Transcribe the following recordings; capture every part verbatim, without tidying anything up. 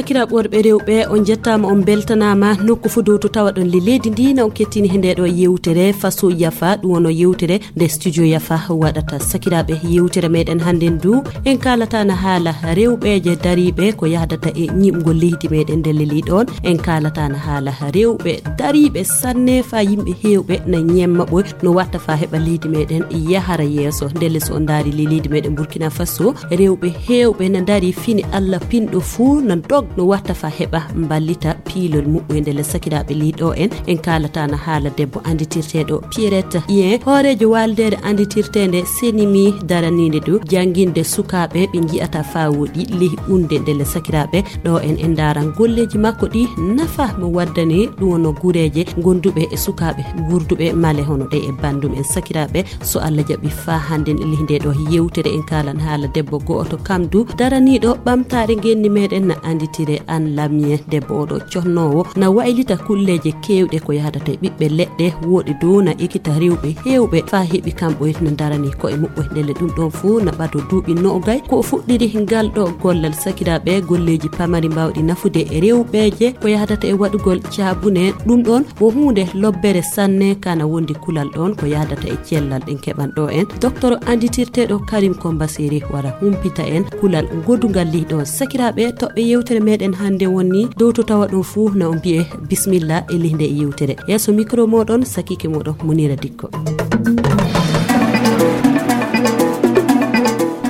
Sakiraaɓe worɓe rewɓe, on njettaama, on mbeltanaama. Nokku fof dow to tawaɗon le leydi ndi, na on kettini he ndee ɗoo yewtere Faso Yafa, ɗum wonoo yewtere nde Studio Yafa waɗata. Sakiraaɓe, yewtere meɗen hannde ndu, en kaalata na haala rewɓeeje dariiɓe ko yahdata e ñiiɓgol leydi meɗen nde leli ɗoon. En kaalata na haala rewɓe dariiɓe sanne, faa yimɓe heewɓe na ñemma ɓoy no watta faa heɓa leydi meɗen yahara yeeso. Ndelle, so on ndaari le leydi meɗen Burkina Faso, rewɓe heewɓe na ndaari fini Alla pinɗo fuu, na dog no watta faa heɓa mballita piilol muɓɓoy. Ndelle, sakiraaɓe, leydi ɗo en, en kaalata na haala debbo annditirteeɗo Pierrette Ien, hooreejo waaldeere annditirteende Senimi, daraniinde du jannginde sukaaɓe ɓe nji'ata faa woɗi ley unde. Ndelle, sakiraaɓe, ɗo en, en ndaaran golleeji makko ɗi, nafa mo waddani, ɗum wonoo guureeje gonduɓe e sukaaɓe guurduɓe male hono ɗe e banndum en. Sakiraaɓe, so Alla jaɓi, faa hannde e ley ndee ɗoo yewtere en kaalan haala debbo go'oto, kam du daraniiɗo ɓamtaare ngenndi meɗen, na annditire Anne Lamien. Debbo oɗo connoowo na waylita kulleeje keewɗe ko yahdata e ɓiɓɓe leɗɗe, woɗi du na ekita rewɓe heewɓe faa heɓi kamɓe na darani ko'e muɓɓe. Ndelle, ɗum ɗoon fuu na ɓado duuɓi noogay ko o fuɗɗiri ngal ɗo gollal. Sakiraaɓe, golleeji pamari mbaawɗi nafude e rewɓeeje ko yahdata e waɗugol caabune, ɗum ɗoon wo huunde lobbere sanne, kana wondi kulal ɗoon ko yahdata e cellal. Ɗen keɓan ɗo en docteur annditirteeɗo Karim Kombaseri wara humpita en kulal ngodungal lih ɗoon. Sakiraaɓe, toɓɓe yewtere meɗen hannde woni dow to tawa ɗum fuu, na on mbiye bismillah e lih nde yewtere. Yeeso micro moɗon, sakiike moɗon Munira Dikko.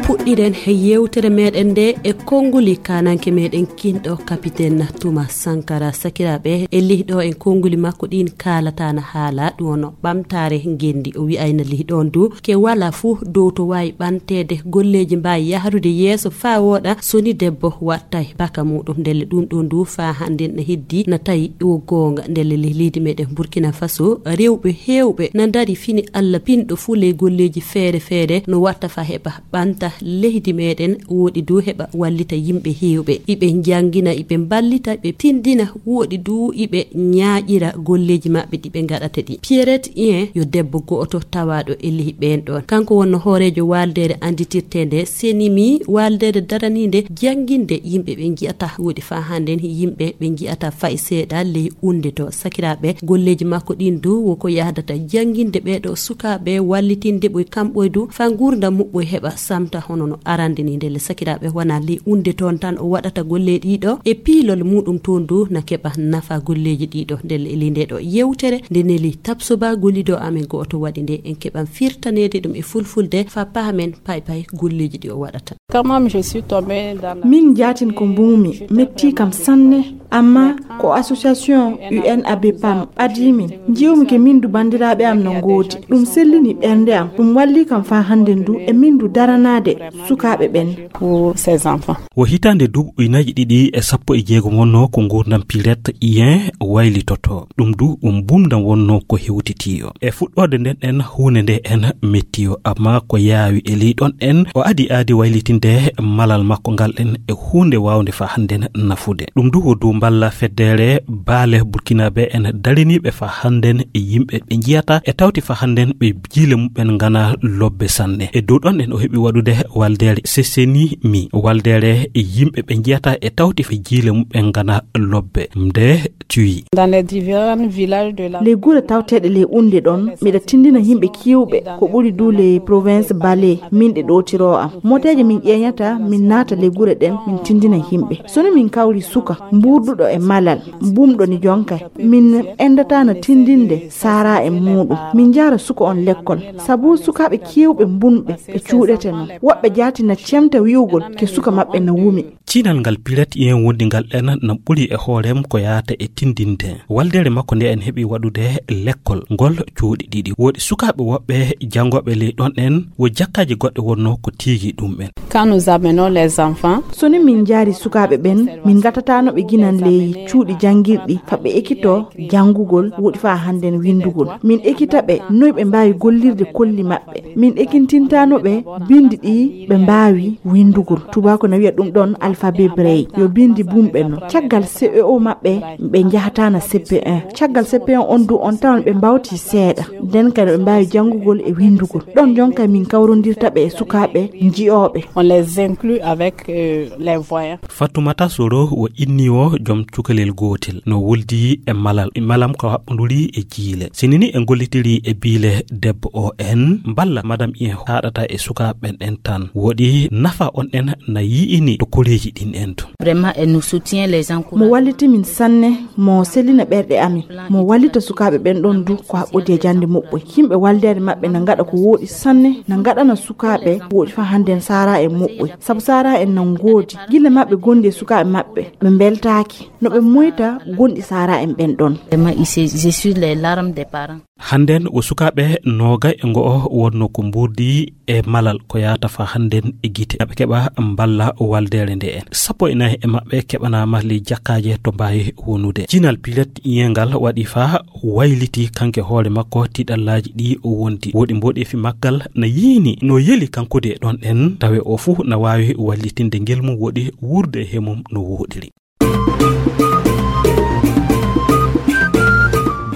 Puɗɗiren he yewtere meɗen nde e konnguli kananke meɗen kinɗo, Capitaine Thomas Sankara. Sakiraaɓe, e lih ɗo en konnguli makko ɗin kaalata na haala ɗum wonoo ɓamtaare ngenndi. O wi'ayna lih ɗoon du ke wala fuu dow to waawi ɓanteede, golleeji mbaawi yahrude yeeso faa wooɗa, so ni debbo wattay baka muɗum. Ndelle, ɗum ɗoon du faa hannde na heddi na tawi wo goonga. Ndelle, lih leydi meɗen Burkina Faso, rewɓe heewɓe na ndaari fini Alla pinɗo fuu ley golleeji feere feere no watta faa heɓa ɓanta leydi meɗen, woɗi du heɓa wallita yimɓe heewɓe. Iɓe njanngina, iɓe mballita, ɓe tinndina, woɗi du iɓe ñaaƴira golleeji maɓɓe ɗi ɓe ngaɗata ɗi. Pierrette Ien yo debbo go'oto tawaaɗo e lih ɓeen ɗoon. Kanko wonnoo hooreejo waaldeere annditirteende Senimi, waaldeere daraniinde jannginde yimɓe ɓe nji'ata, woɗi faa hannde yimɓe ɓe nji'ata fay seeɗa ley unde to. Sakiraaɓe, golleeji makko ɗin du wo ko yahdata jannginde ɓee ɗo sukaaɓe, wallitinde ɓoy kamɓoy du faa nguurndam muɓɓoy heɓa samta hono no arande ni. Ndelle, sakiraaɓe, wonaa ley unde toon tan o waɗata golle ɗiɗo e piilol muɗum toon du na keɓa nafa golleeji ɗiɗo. Ndelle, e ley nde ɗo yewtere nde neli Tapsoba gollido amen go'oto waɗi nde, en keɓan firtaneede ɗum e fulfulde faa pahamen pay pay golleeji ɗi o waɗata. Quand même, je suis tombée dans la... Min jaatin ko mbuumi, metti kam sanne, amma ko association U N A B pam ɓadii min. Njiwmi ke min du banndiraaɓe am no ngoodi. Ɗum sellini ɓernde am, ɗum walli kam faa hannde ndu e min du daranaade sukaaɓe ɓen. Pour ces enfants. Wo hitaande duuɓi ujunaaji ɗiɗi e sappo e jeegom wonnoo ko nguurndam Pierrette Ien waylitoto. Ɗum du, ɗum mbumndam wonnoo ko hewtitiyo. E fuɗɗoode nden en, huunde nde en mettiyo, amma ko yaawi e ley ɗon en, o adi aadi waylitinde malal makko ngal en e huunde waawnde faa hannden nafude. Ɗum du wo dow mballa feddere baale Burkinaaɓe en dariniiɓe faa hannden e yimɓe ɓe njiyata e tawti faa hannden ɓe jiile muɓɓen ngana lobbe sanne. E dow ɗon en o heɓi waɗude waldeere Seseni mi, waldeere e yimɓe ɓe njiyata e tawti faa jiile muɓɓen ngana lobbe. Nde cuyi. Dans les différents villages de la... Les gure tawteeɗe ley unde ɗon, miɗa tindina yimɓe kiiwɓe ko ɓuri du ley province Bale, min ɗe ɗootiro am. Moteeje min ƴeeñata, min naata ley gure ɗen, min tindina yimɓe. So no min kawri suka mbuurduɗo e malal, mbumɗo ni jonka, min endatana tindinde saara e muuɗum. Min njaara suka on lekkol, sabu sukaaɓe kiiwɓe mbunɓe ɓe cuuɗete non. Woɓɓe jaati na cemta wi'ugol ke suka maɓɓe na wumi. Ciinal ngal Pierrette Ien wondi ngal en na ɓuri e hoorem ko yaata e tindinde. Waldeere makko nde en heɓi waɗude lekkol ngol cuuɗi ɗiɗi. Woodi sukaaɓe woɓɓe janngooɓe ley ɗon en, wo jakkaaji goɗɗe wonnoo ko tiigi ɗum en. Quand nous amenons les enfants, so ni min njaari sukaaɓe ɓen, min ngatatano ɓe gina Ley cuuɗi janngirɗi, fa ɓe ekitoo janngugol, woɗi fa hannden winndugol. Min ekita ɓe noy ɓe mbaawi gollirde kolli maɓɓe. Min ekintintano ɓe binndi ɗi ɓe mbaawi winndugol. Tubaako na wiya ɗum ɗon alphabet Braille. Yo binndi bumɓe no. Caggal C E O maɓɓe, ɓe njahataana C P un. Caggal C P un on du, on tawan ɓe mbawti seeɗa. Nden kadi ɓe mbaawi janngugol e winndugol. Ɗon jonka min kawrondirta ɓe e sukaaɓe njiyooɓe. On les inclut avec, euh, les voyants. Fatoumata Soro o inni o joom cukalel gootel no woldi e malal. Malam ko haɓɓonduri e jiile. Sinini en gollitiri e biile debbo o en mballa madam en haɗata e sukaaɓe ɓen en tan. Woɗi nafa on en na yi'ini to koreeji ɗin en to. Vraiment, elle nous soutient, les encourage. Mo walliti min sanne, mo selina ɓerɗe amin, mo wallita sukaaɓe ɓen ɗon du ko haɓɓodi e jannde moɓɓoy. Yimɓe waldeede maɓɓe na ngaɗa ko wooɗi sanne, na ngaɗana sukaaɓe wooɗi fa hannden saara en moɓɓoy. Sabu saara en na ngoodi, gille maɓɓe gondi e sukaaɓe maɓɓe, ɓe mbeltaaki. No ɓe moyta gonɗi saara en ɓen ɗon. Vraiment, il se- je suis les larmes des parents. Hannden o sukaaɓe nooga e ngo'o wonno ko mburdi e malal ko yaata fa hannden e gite. Ɓe keɓa mballa waldeere nde en. Sappo e nayi e maɓɓe keɓanaama ley jakkaaje to mbaawi wonude. Jinal pilet iyengal waɗi fa wayliti kanke hoore makko tiɗallaaji ɗi o wondi. Woɗi mboɗeefi maggal na yiini no yeli kanko de ɗon en tawe o fuu na waawi wallitinde ngel mum woɗi wuurde he mum no wooɗiri.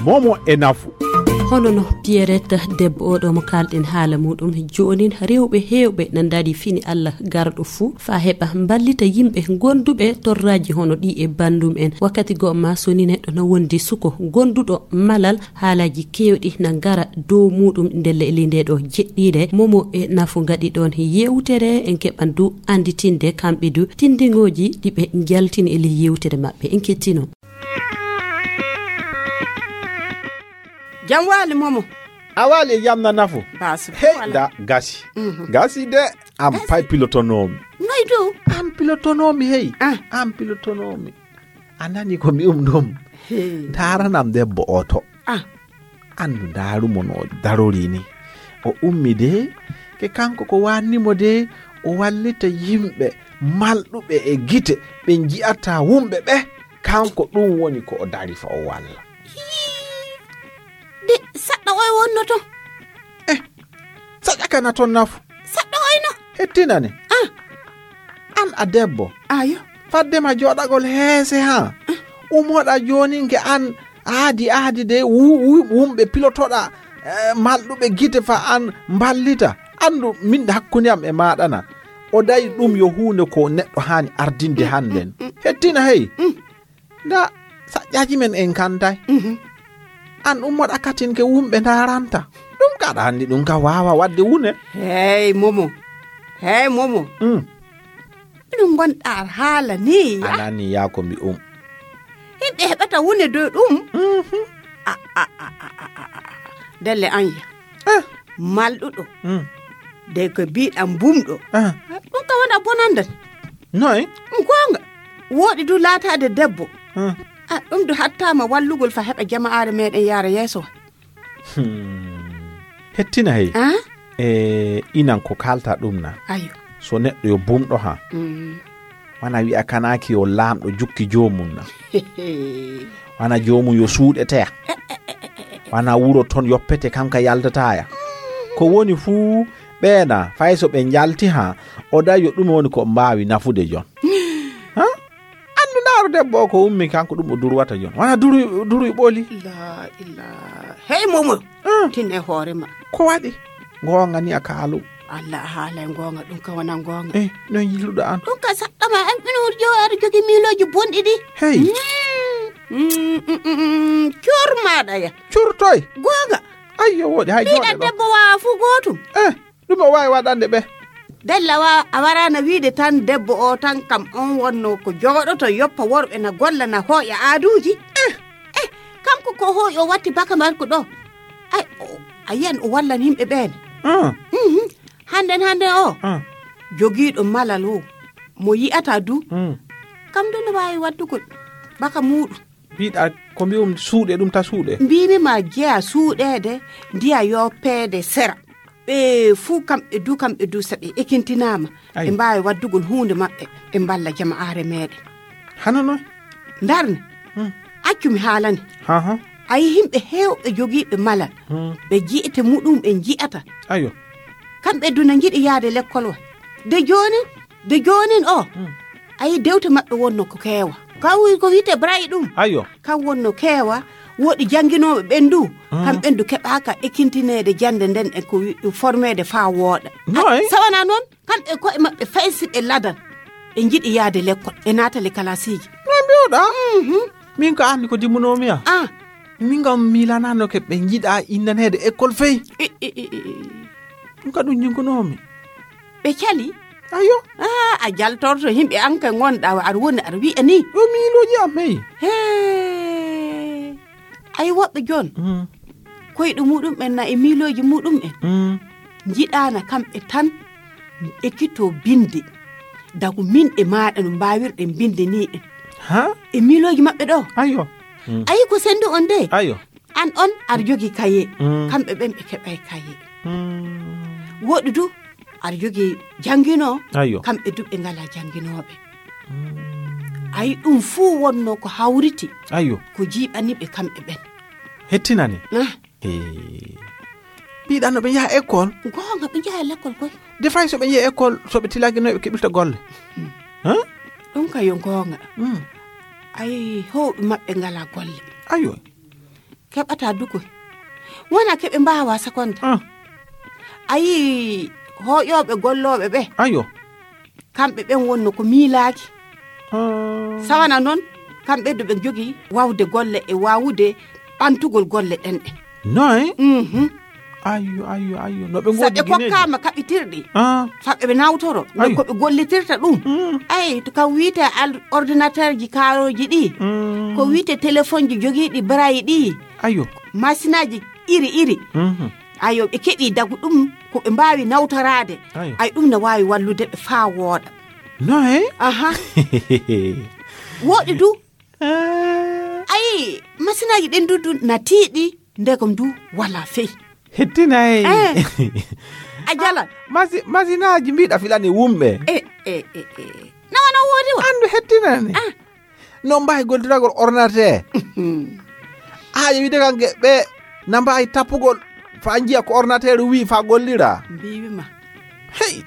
Momo e nafu. Hono no Pierrette debbo oɗo mo kalɗen haala muɗum joonin, rewɓe heewɓe na ndaari fini Allah garɗo fuu faa heɓa mballita yimɓe gonduɓe torraaji hono ɗi e banndum en. Wakkati goo ma so ni neɗɗo na wondi suko gonduɗo malal, haalaaji keewɗi na ngara dow muɗum ndelle e ley ndee ɗoo jeɗɗiire. Momo e nafu ngaɗi ɗoon yeewtere, en keɓan du annditinde kamɓe du tinndingooji ɗi ɓe njaltini e ley yeewtere maɓɓe. En kettino. Jam waali, Momo. A waali e jam na nafu. Baasi. Hey, wala. Da gasi. Mhm. Gasi de, am pay pilotonoomi. Noy du? Am pilotonoomi, hey. Ah. Am pilotonoomi. A nani ko mi um ɗum? Hey. Ndaaranam debbo o to. Ah. Anndu ndaaru mo no darori ni. O ummi de, ke kanko ko waanni mo de, o wallita yimɓe malɗuɓe e gite, ɓe nji'ata wumɓe ɓe. Kanko ɗum woni ko o dari fa o walla. Hii. De, saɗɗa oy wonno to? Eh, saɗɗa kana ton nafu. Saɗɗo oyno. Hettinane. Ah. An a debbo. Ayo. Fadde ma jooɗagol heese ha. Ah. Umoɗa joonin ke an aadi aadi de wu-, wu-, wumɓe pilotoɗa, eh, malɗuɓe gite fa an mballita. Andu min hakkunde am e maɗana. O dayi ɗum yo huunde ko neɗɗo haani ardinde hannden. Mm, mm, mm. Hettina hey. Mm. Nda saƴƴaji men en kantay. Mhm. An ummoɗa katin ke wumɓe ndaranta. Ɗum kaɗa anndi ɗum ka waawa waɗde wune. Hey, Momo. Hey, Momo. Mm. Ɗum ngonɗa haala ni, ya? A nani ya ko mbi um. Yimɓe heɓata wune dow ɗum. Mhm. A, a, a, a, a, a, a. Delle an ya. Ah. Malɗuɗo. Mm. De ko mbiɗan bumɗo. Ah. Ɗum ka wona bonandan. Noy? Ɗum goonga. Wooɗi du laataade debbo. Ah. Ah, ɗum du hattaama wallugol fa heɓa jama'aare meɗen yaara yeeso. Hmm. Hettina hey. Ah? E inan ko kalta ɗum na. Ayo. So neɗɗo yo bumɗo ha. Mm. Wana wi'a kanaaki yo laamɗo jukki joomum na. Wana joomum yo suuɗeteya. Wana wuro ton yoppete kanka yaltataya. Ko woni fuu ɓeena fay so ɓe njalti ha o dayo ɗum woni ko mbaawi nafude jon. Ha? Anndu ndaaru debbo o ko ummi kanko ɗum o durwata jon. Wana duruy, duruy ɓoli. La ilaha. Hey, Momo. Ah. Tin e hoore ma. Ko waɗi? Ngoonga ni a kaalu. Allah a haalay ngoonga ɗum ka wona ngoonga. Eh, no yiiluɗo an? Ɗum ka saɗɗa ma an ɓino woni jowo aɗa jogi miilooji bonɗi ɗi. Hey. Mm, mm, mm, mm, mm. Cor maɗa ya. Cor toy? Goonga. Ayyo woɗi hay joɗe ɗo. Debbo waawa fu gootum. Eh, ɗum o waawi waɗande ɓe. Della wa a warana wiide tan debbo o tan kam on wonno ko jooɗoto yoppa worɓe na golla na hooƴa aaduuji. Eh. Eh, kanko ko hooƴi o watti baka marko ɗo. Ay, o, a yiyan o wallan yimɓe ɓeen. Ah. Mhm. Hannden, hannden o. Ah. Jogiiɗo malal o. Mo yi'ata du. Mm. Kam du no waawi waddugol. Baka muuɗum. Mbiɗa ko mbi'um suuɗe ɗum ta suuɗe. Mbiimi ma jeya suuɗeede ndiya yoppeede sera. Ɓe fuu kamɓe du, kamɓe du so ɓe ekintinaama. Ay. Ɓe mbaawi waddugol huunde maɓɓe. Ɓe mballa jama'aare meeɗen. Hano noon? Ndarne. Hmm. Accu mi haalane. Ha, ha. Ayi himɓe heewɓe jogiiɓe malal. Hmm. Ɓe ji'ete muɗum en ji'ata. Ayo. Kamɓe duna njiɗi yaade lekkol wa. De joonin, de joonin o. Hmm. Ayi dewte maɓɓe wonno ko keewa. Kaw ko wi'ete Braille ɗum. Ayo. Kam wonno keewa, woɗi jannginooɓe ɓen du. Hmm. Kam ɓen du keɓaaka ekkintineede jannde nden e ko wi-, formeede faa wooɗa. Noy? Sawana noon, kamɓe koye maɓɓe fay si ɓe ladan. Ɓe njiɗi yaade lekkol, ɓe naata le kalasiiji. No mbi'oɗaa? Mhm. Min ko anndi ko dimmunoomi ya. Ah. Min kam miilanano ke ɓe njiɗa innaneede école fey. I, i, i, i, i. Ɗum ka ɗum jinkunoomi. Ɓe cali? Ayo. Ah, a jaltorto yimɓe an ka ngonɗa, aɗa woni, aɗa wi'a ni. Ɗo miilooji am, hey. Hee. Ay woɓɓe jon. Mm. Koyɗe muɗum en na e miilooji muɗum en. Mm. Njiɗaana kamɓe tan ekkito binde. Dagu min e maaɗa no mbaawirɗen binde ni en. Ha? E miilooji maɓɓe ɗo. Ayo. Mm. Ayi ko sendu on de. Ayo. An on aɗa jogii kaye. Mm. Kamɓe ɓen ɓe keɓay kaye. Mm. Woɗɗi du aɗa jogii jannginoo. Ayo. Kamɓe du ɓe ngalaa jannginooɓe. Mm. Ayi ɗum fuu wonno ko hawriti. Ayo. Ko jiiɓani ɓe kamɓe ɓen. Hettinani. Ah. Eh. Mbiɗa no ɓe njaha école? Goonga, ɓe njaha l'école koy. De fay so ɓe njehi école, so ɓe tilaki no ɓe keɓirta golle. Mm. Huh? Ɗum ka yo goonga. Mm. Ayi, heewɓe maɓɓe ngalaa golle. Ayo. Keɓata du koy. Wona ke ɓe mbaawa sakonde. Ah. Ayi, hooƴooɓe gollooɓe ɓe. Ayo. Kamɓe ɓen wonno ko miilaaki. Ah. Sawana noon, kamɓe du ɓe njogii waawde golle e waawude ɓantugol golle ɗen ɗe. Noy? Mhm. Ayyo, ayyo, ayyo. No ɓe So ngoodi ɓe gineeji. Kokkaama kaɓitirɗi, Ah. fa ɓe nawtoro, no Ayyo. ko ɓe gollitirta ɗum. Mm. Ay, to kam wiite al-, ordinateur ji kaarooji ɗi, Mm. ko wiite téléphone ji jogiiɗi barayi ɗi, Ayyo. masinaaji iri iri. Mhm. Ayo, ɓe keɓi dagu ɗum ko ɓe mbaawi nawtoraade. Ayo. Ay, ɗum ne waawi wallude ɓe faa wooɗa. Noy? Aha. Woɗɗi du. Ah. Ayi, masinaaji ɗin du, du na tiiɗi, ndegom du wala fey. Hettinay. Eh. A jala. Masi-, masinaaji mbiɗa filani wumɓe. Eh, eh, eh, eh. Nawa na woodi wa? Andu hettinani. Ah. No mbaawi gollitiragol ordinateur? Mhm. Haa ƴe wiide kan ge-, ɓe na mbaawi tappugol faa njiya ko ordinateur wi faa gollira. Mbiiwi ma. Hey,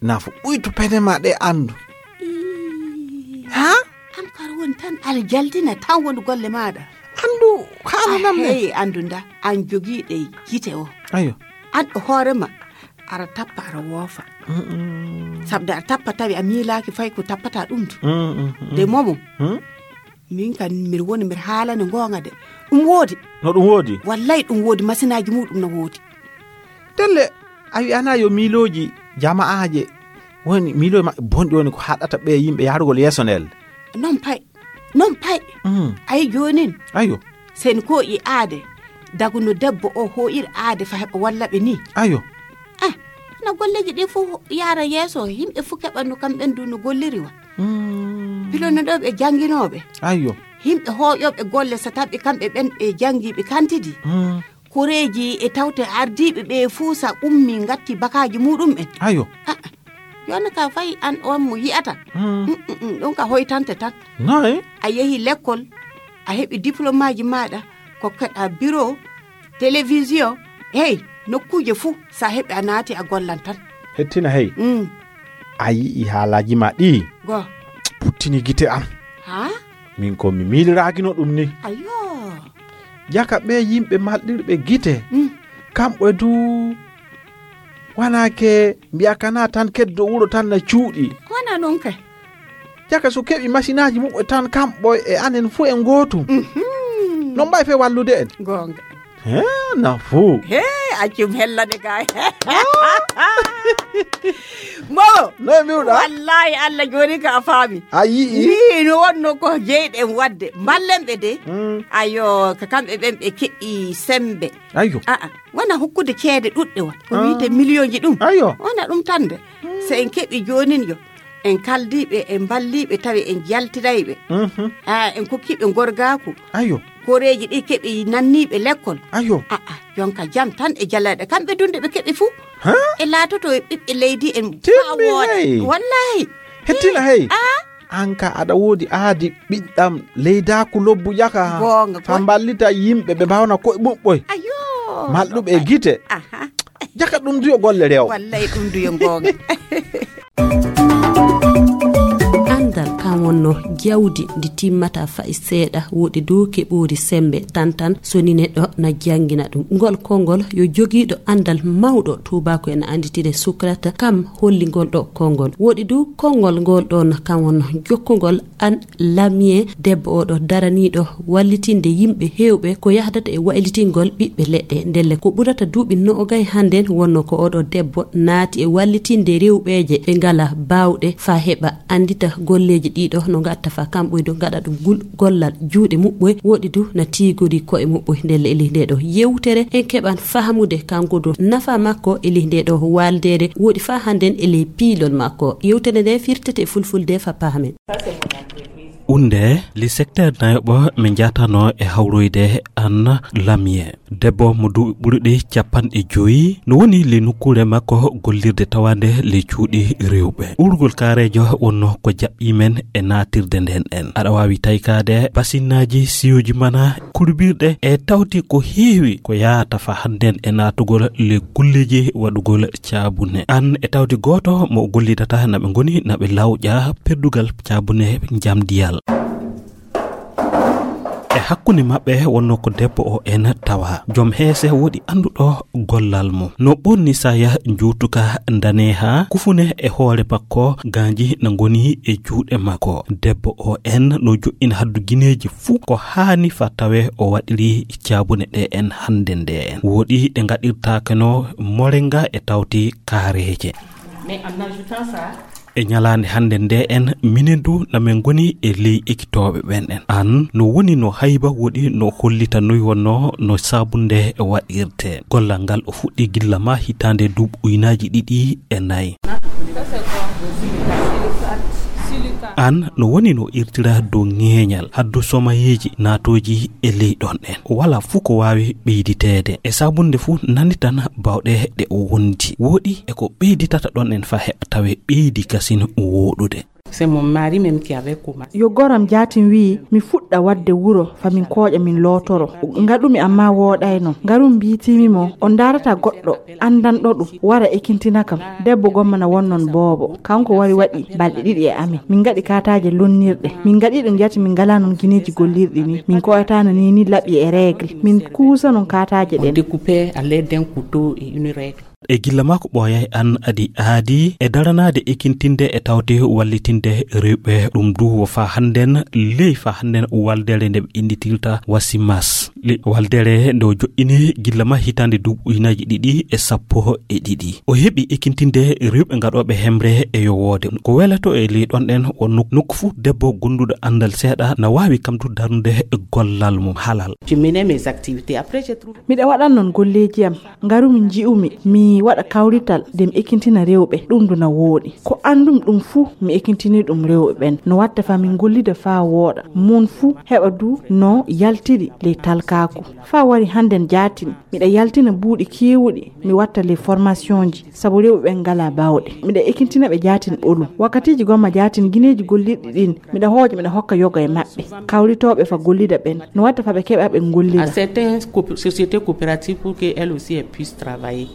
nafu ɓuytu pene ma ɗe andu. Ii. Ha? An kar woni tan aɗa jaldina tan woni golle maaɗa. Andu, haala Ah, nam ne? Hey, andu nda, an jogiiɗe gite o. Ayo. An ɗo hoore ma, aɗa tappa, aɗa woofa. Mm, mm. Sabda aɗa tappa tawi a miilaaki fay ko tappata ɗum du. Mm, mm, mm. De momo, Hmm? min kan mbiɗa woni mbiɗa haalani goonga de. Ɗum woodi. No ɗum woodi? Wallay ɗum woodi, masinaaji muɗum no woodi. Telle, a wi'ana yo miilooji jama'aaje woni, miilooji maɓɓe bonɗi woni ko haɗata ɓe yimɓe yahrugol yeeso ndel. Non pay, non pay. Mm. Ay joonin. Ayo. Sen ko i aade, dagu no debbo o hoo'iri aade fa heɓa walla ɓe ni. Ayo. Ah, no golleeji ɗi fof yaara yeeso, yimɓe fof keɓa no kamɓe du no golliri wa. Mm. Pilo no ɗo ɓe jannginooɓe. Ayo. Yimɓe hooƴooɓe golle so tawi kamɓe ɓen ɓe janngi ɓe kantidi. Mm. Koreeji e tawte ardiiɓe ɓe fuu sa ummi ngatti bakaaji muɗum en. Ayo. Ah, ah. Yonno ka fay an on mo yi'ata. Mm. Mm, mm, mm, ɗum ka hoytante tan. Noy? A yehi lekkol, a heɓi diplôme aji maaɗa, kokkeɗa bureau, télévision, hey, nokkuuje fuu, sa heɓi a naati a gollan tan. Hettina hey. Mm. A yi'i haalaaji ma ɗi? Go. Puttini gite am. Ha? Min ko mi miiliraakino ɗum ni. Ayo. Jaka ɓe yimɓe malɗirɓe gite. Mm. Kamɓe du wanaake mbiya kana tan keddo wuro tan na cuuɗi. Wana non kay. Jaka so keɓi masinaaji muɓɓe tan kamɓe e anen fuu en gootum. Mhm. No mbay fe wallude en. Goonga. He, na fuu. He, accum hellade kay. Ah. Mo. No e mbiwɗa? Wallahi Allah jooni ka a faami. A yi'i? Ni no wonno ko jeyɗen wadde. Mballen ɓe de. Mm. Ayo, ka kamɓe ɓen ɓe keɓi sembe. Ayo. A'a, wona hokkude ceede ɗuɗɗe wa. Ko Ah. wi'ete miliyonji ɗum. Ayo. Wona ɗum tan de. Mm. So en keɓi joonin yo. En kaldiiɓe, en mballiiɓe, tawi en jaltirayɓe. Mhm. Ah, en kokkiiɓe ngorgaaku. Ayo. Koreeji ɗi keɓi nanniiɓe lekkol. Ayo. A'a, jonka jam tan e jaleeɗe. Kamɓe dunde ɓe keɓi fuu. Ha? E laatoto e ɓiɓɓe leydi en. Timmi faa wooɗa. Hey. Wallahi. Hettina hey. Ah. An ka aɗa woodi aadi ɓiɗɗam leydaaku lobbu ƴaka. Goonga, fa goonga. Mballita yimɓe ɓe mbawna koye muɓɓoy. Ayo. Malɗuɓe e gite. Aha. Jaka ɗum duyo golle rew. Wallay ɗum duyo goonga. Andal kan wonno jawdi ndi timmata fay seeɗa, woɗi dow keɓoori sembe tantan, so ni neɗɗo na jangina ɗum. Ngol konngol yo jogiiɗo andal mawɗo, tuubaako en anditire Socrate, kam holli ngol ɗo konngol. Woɗi dow konngol ngol ɗon kan wonno jokkungol an Lamie, debbo oɗo daraniiɗo wallitinde yimɓe heewɓe ko yahdata e waylitingol ɓiɓɓe leɗɗe. Ndelle ko ɓurata duuɓi noogay hannden wonno ko oɗo debbo naati e wallitinde rewɓeeje ɓe ngala baawɗe faa heɓa anndita golleeji ɗiɗo no ngatta faa kamɓoydo ngaɗa ɗum gul-, gollal juuɗe muɓɓoy. Woɗi du na tiigori ko'e muɓɓoy. Ndelle e ley nde ɗo yewtere en keɓan fahamude kanko du nafa makko e ley nde ɗo waaldeere woɗi faa hannden e ley piilol makko. Yewtere nde firtete e fulfulde faa pahamen. Unde, le secteur nayoɓo min jatano e hawroyde an Lamie. Debbo mo duuɓi ɓuruɗi capanɗe joyi, no woni le nokkuure makko gollirde tawande le cuuɗi rewɓe. Urgol kaareejo wonno ko jaɓɓi men e naatirde nden en. Aɗa waawi taykaade basinnaaji siyoji mana kurbirɗe e tawti ko heewi ko yaata fa hannden e naatugol le golleeji waɗugol caabune. An e tawti gooto mo gollidata na ɓe ngoni na ɓe lawƴa perdugal caabune njamdiyal. E hakkunde maɓɓe wonno ko debbo o en tawa. Joom heese woɗi annduɗo gollal mum. No ɓonni saya njuutuka ndaneha, kufune e hoore makko, ganji na ngoni e juuɗe makko. Debbo o en no joɗɗina haddu gineeji fuu ko haani fa tawe o waɗiri caabune ɗe en hannde nde en. Woɗi ɗe ngaɗirtaake no morenga e tawti kaareeje. Mais en ajoutant ça, e ñalaande hannde nde en, minen du na min ngoni e ley ekitooɓe ɓen en. An no woni no hayba woɗi no hollita noy wonno no saabunde waɗirte. Gollal ngal o fuɗɗi gilla ma hitaande duuɓi uynaaji ɗiɗi e nayi. An no woni no irtira dow ŋeeñal haddu somayeeji naatooji e ley ɗon en. Wala fuu ko waawi ɓeyditeede. E saabunde fuu nani tan bawɗe ɗe o wondi. Woɗi e ko ɓeyditata ɗon en fa heɓa tawe ɓeydi kasin wooɗude. C'est mon mari même qui avait commencé. Yo goram jaatin wi'i, mi fuɗɗa waɗde wuro, fa min kooƴa, min lootoro. Ngaɗumi amma wooɗayno. Ngarum mbiitimi mo, on ndaarata goɗɗo, anndanɗo ɗum, wara ekintina kam. Debbo gomma na wonnon boobo. Kanko wari waɗi balɗe ɗiɗi e amin. Min ngaɗi kaataaje lonnirɗe. Min ngaɗi ɗum jati min ngalaa noon gineeji gollirɗi ni. Min koyataano ni ni laɓi e règle. Min kuusa noon kaataaje On ɗen. Découpait à l'aide d'un couteau et une règle. E gilla maa ko ɓooyay an adi aadi e daranaade ekintinde e tawte wallitinde rewɓe. Ɗum du wo faa hannden ley faa hannden waldere nde ɓe innditirta Wasimas. Le waldere nde o joɗɗini gilla ma hitaande duuɓi ujunaaji ɗiɗi e sappo e ɗiɗi. O heɓi ekintinde rewɓe ngaɗooɓe hemre e yowoode. Ko welato e ley ɗon ɗen o nok-, nokku fuu debbo gonduɗo anndal seeɗa na waawi kam du darnude gollal mum halal. Je menais mes activités. Après, j'ai trouvé Miɗa waɗan noon golleeji am. Ngarumi nji'umi, mi waɗa kawrital nde mi ekintina rewɓe, ɗum du na wooɗi. Ko anndum ɗum fuu, mi ekintini ɗum rewɓe ɓen. No watta faa min gollida faa wooɗa. Mon fuu heɓa du no yaltiri ley talkaaku. Faa wari hannden jaatin, miɗa yaltina buuɗi keewuɗi, mi watta ley formationji, sabu rewɓe ɓen ngalaa baawɗe. Miɗa ekintina ɓe jaatin ɓolum. Wakkatiiji gomma jaatin gineeji gollirɗi ɗin, miɗa hooƴa, miɗa hokka yoga e maɓɓe. Kawritooɓe fa gollida ɓen, no watta fa ɓe keɓa ɓe gollida. À certaines coop-, sociétés coopératives pour qu'elles aussi elles puissent travailler.